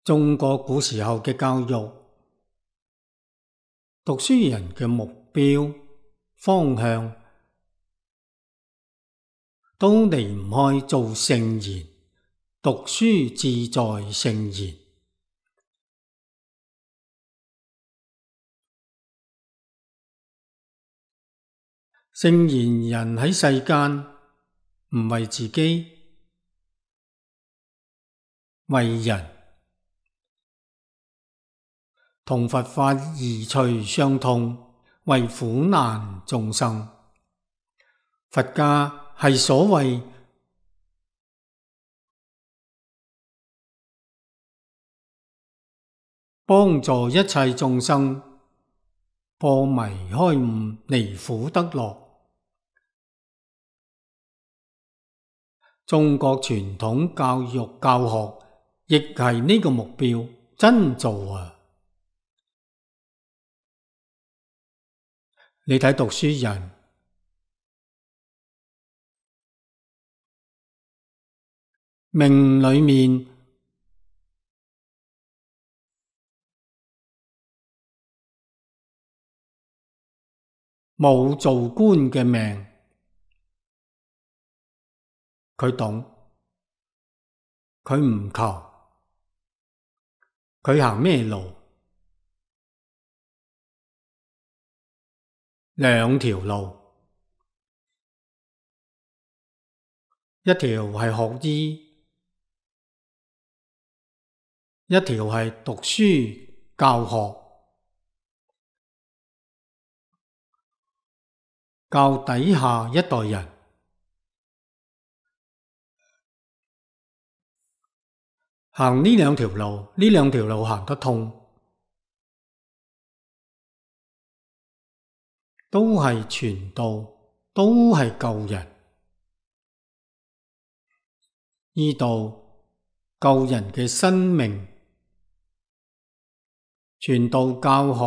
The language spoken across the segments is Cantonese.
中國古時候嘅教育，讀書人嘅目標方向都離唔開做聖賢，讀書志在聖賢。聖賢人喺世間唔為自己，為人，同佛法異趣相通，為苦難眾生。佛家係所謂幫助一切眾生破迷開悟，離苦得樂。中國傳統教育教學亦係呢個目標，真做啊！你睇讀書人命裏面冇做官嘅命，佢懂，佢唔求，佢行咩路？兩條路，一條係學醫，一條係讀書教學，教底下一代人。行呢兩條路，呢兩條路行得通，都係傳道，都係救人。依度救人嘅生命，傳道教學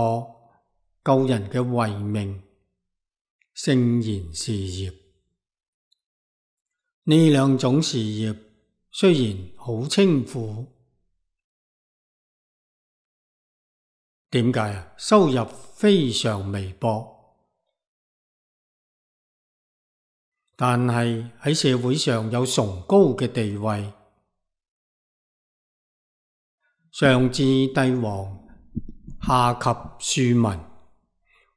救人嘅慧命，聖賢事業。呢兩種事業雖然好清苦，點解啊？收入非常微薄，但係喺社會上有崇高嘅地位，上至帝王，下及庶民，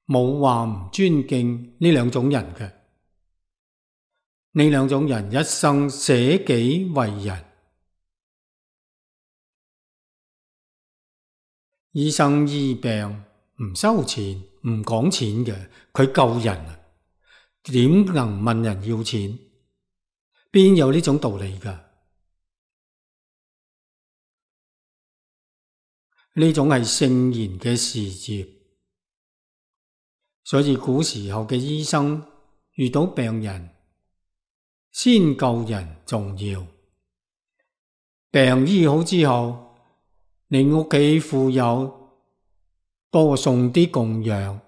冇話唔尊敬呢兩種人嘅。呢兩種人一生捨己為人，醫生醫病唔收錢唔講錢嘅，佢救人啊，點能問人要錢？邊有呢種道理㗎？呢種係聖賢嘅事業，所以古時候嘅醫生遇到病人，先救人重要。病醫好之後，你屋企富有，多送啲供養；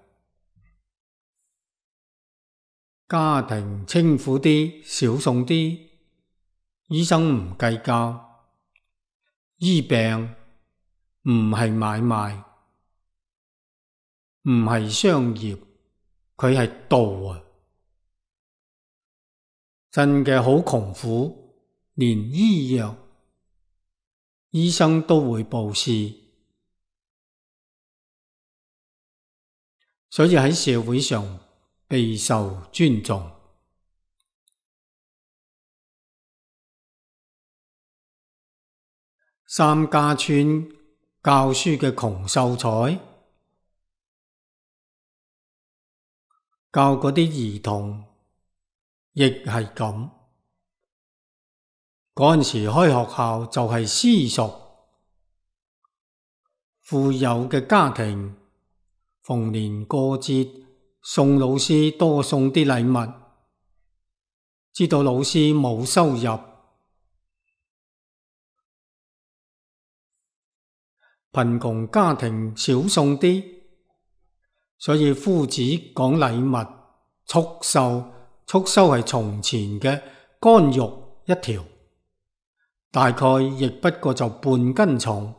家庭清苦啲，少送啲。醫生唔計較，醫病唔係買賣，唔係商業，佢係道啊！真嘅好窮苦，連醫藥醫生都會布施，所以喺社會上備受尊重。三家村教書嘅窮秀才，教嗰啲兒童亦係咁。嗰陣時開學校就係私塾，富有嘅家庭逢年過節送老師多送啲禮物，知道老師冇收入。貧窮家庭少送啲，所以夫子講禮物束脩，束脩係從前嘅乾肉一條，大概亦不過就半斤重。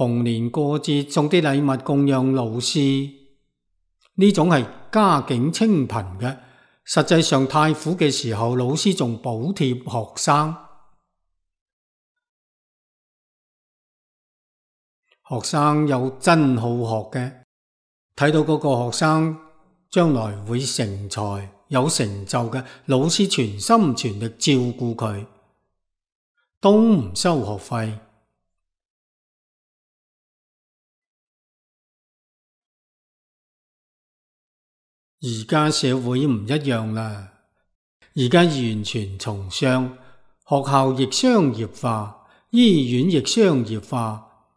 逢年過節送啲禮物供養老師，呢種係家境清貧嘅。實際上太苦嘅時候，老師仲補貼學生。學生有真好學嘅，睇到嗰個學生將來會成才有成就嘅，老師全心全力照顧佢，都唔收學費。而家社會唔一樣啦，而家完全從商，學校亦商業化，醫院亦商業化，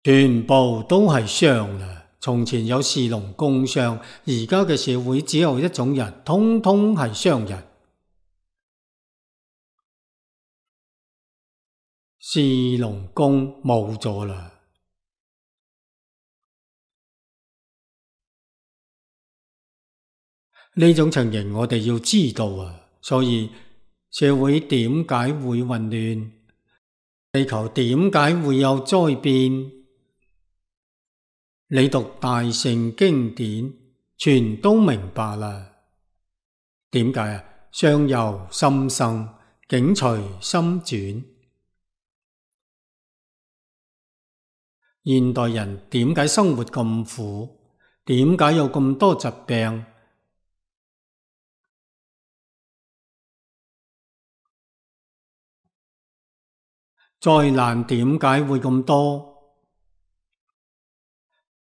全部都係商啦。從前有士農工商，而家嘅社會只有一種人，通通係商人。士農工冇咗啦。呢種情形我哋要知道啊，所以社會點解會混亂？地球點解會有災變？你讀大乘經典，全都明白啦。點解啊？相由心生，境隨心轉。現代人點解生活咁苦？點解有咁多疾病？災難點解會咁多？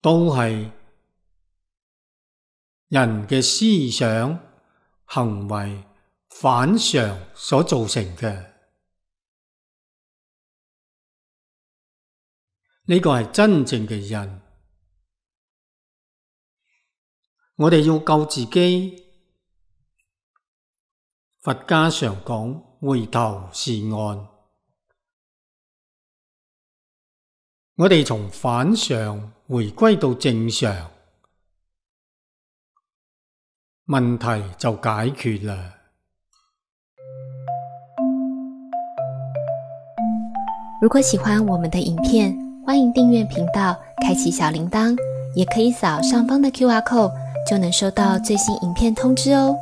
都係人嘅思想行為反常所造成嘅。呢個係真正嘅人。我哋要救自己。佛家常講回頭是岸。我哋從反常回歸到正常，問題就解決啦。如果喜歡我們的影片，歡迎訂閱頻道，開啟小鈴鐺，也可以掃上方的QR code，就能收到最新影片通知哦。